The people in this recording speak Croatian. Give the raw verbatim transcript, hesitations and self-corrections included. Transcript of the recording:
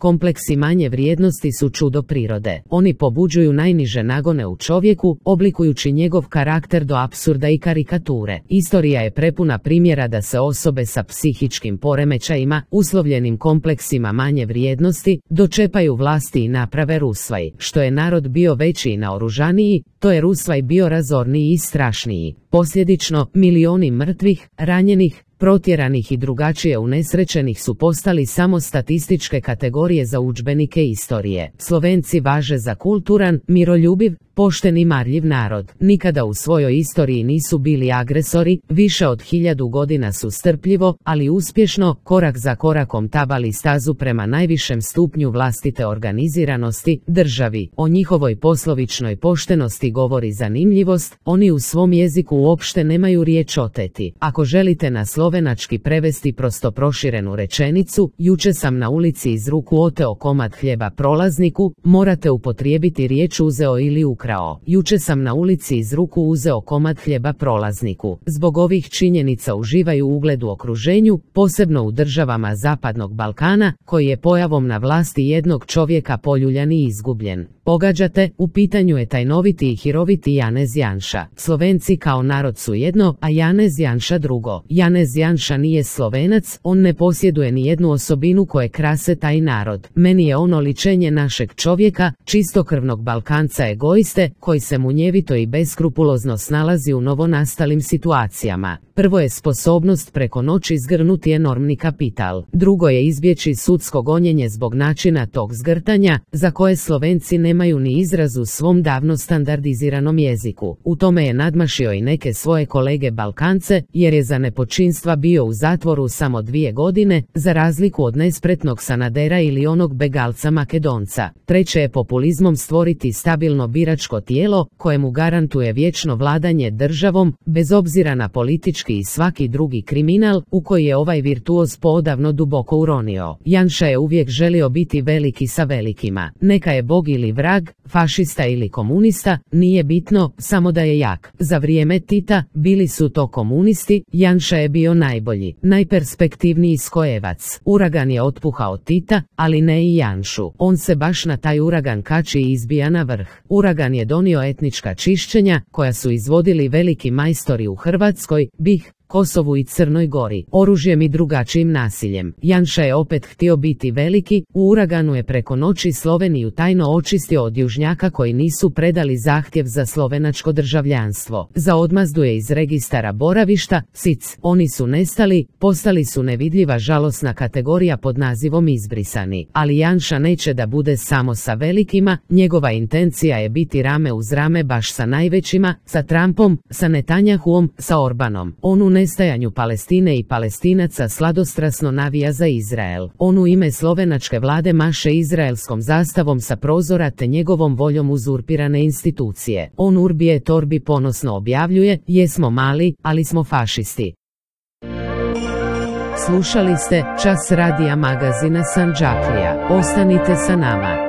Kompleksi manje vrijednosti su čudo prirode. Oni pobuđuju najniže nagone u čovjeku, oblikujući njegov karakter do apsurda i karikature. Istorija je prepuna primjera da se osobe sa psihičkim poremećajima, uslovljenim kompleksima manje vrijednosti, dočepaju vlasti i naprave rusvaj. Što je narod bio veći i naoružaniji, to je rusvaj bio razorniji i strašniji. Posljedično, milioni mrtvih, ranjenih, protjeranih i drugačije unesrećenih su postali samo statističke kategorije za udžbenike istorije. Slovenci važe za kulturan, miroljubiv, pošten i marljiv narod. Nikada u svojoj istoriji nisu bili agresori, više od hiljadu godina su strpljivo, ali uspješno, korak za korakom tabali stazu prema najvišem stupnju vlastite organiziranosti, državi. O njihovoj poslovičnoj poštenosti govori zanimljivost, oni u svom jeziku uopšte nemaju riječ oteti. Ako želite na slovenački prevesti prosto proširenu rečenicu, juče sam na ulici iz ruku oteo komad hljeba prolazniku, morate upotrijebiti riječ uzeo ili ukrao. Juče sam na ulici iz ruku uzeo komad hljeba prolazniku. Zbog ovih činjenica uživaju ugled u okruženju, posebno u državama Zapadnog Balkana, koji je pojavom na vlasti jednog čovjeka poljuljan i izgubljen. Pogađate, u pitanju je tajnoviti i hiroviti Janez Janša. Slovenci kao narod su jedno, a Janez Janša drugo. Janez Janša nije Slovenac, on ne posjeduje ni jednu osobinu koje krase taj narod. Meni je on oličenje našeg čovjeka, čistokrvnog Balkanca egoiste, koji se munjevito i beskrupulozno snalazi u novonastalim situacijama. Prvo je sposobnost preko noći zgrnuti enormni kapital. Drugo je izbjeći sudsko gonjenje zbog načina tog zgrtanja, za koje Slovenci nemaju ni izraz u svom davno standardiziranom jeziku. U tome je nadmašio i neke svoje kolege Balkance, jer je za nepočinstva bio u zatvoru samo dvije godine, za razliku od nespretnog Sanadera ili onog begalca Makedonca. Treće je populizmom stvoriti stabilno biračko tijelo, koje mu garantuje vječno vladanje državom, bez obzira na politički i svaki drugi kriminal, u koji je ovaj virtuoz poodavno duboko uronio. Janša je uvijek želio biti veliki sa velikima. Neka je bog ili vrag, fašista ili komunista, nije bitno, samo da je jak. Za vrijeme Tita, bili su to komunisti, Janša je bio najbolji, najperspektivniji skojevac. Uragan je otpuhao Tita, ali ne i Janšu. On se baš na taj uragan kači i izbija na vrh. Uragan je donio etnička čišćenja, koja su izvodili veliki majstori u Hrvatskoj, BiH, Kosovu i Crnoj Gori, oružjem i drugačijim nasiljem. Janša je opet htio biti veliki, u uraganu je preko noći Sloveniju tajno očistio od južnjaka koji nisu predali zahtjev za slovenačko državljanstvo. Za odmazdu je iz registara boravišta, S I C. Oni su nestali, postali su nevidljiva žalosna kategorija pod nazivom izbrisani. Ali Janša neće da bude samo sa velikima, njegova intencija je biti rame uz rame baš sa najvećima, sa Trumpom, sa Netanjahuom, sa Orbanom. On u nestajanju Palestine i Palestinaca sladostrasno navija za Izrael. On u ime slovenačke vlade maše izraelskom zastavom sa prozora te njegovom voljom uzurpirane institucije. On urbi et orbi ponosno objavljuje, jesmo mali, ali smo fašisti. Slušali ste Čas radija magazina Sandžaklija. Ostanite sa nama.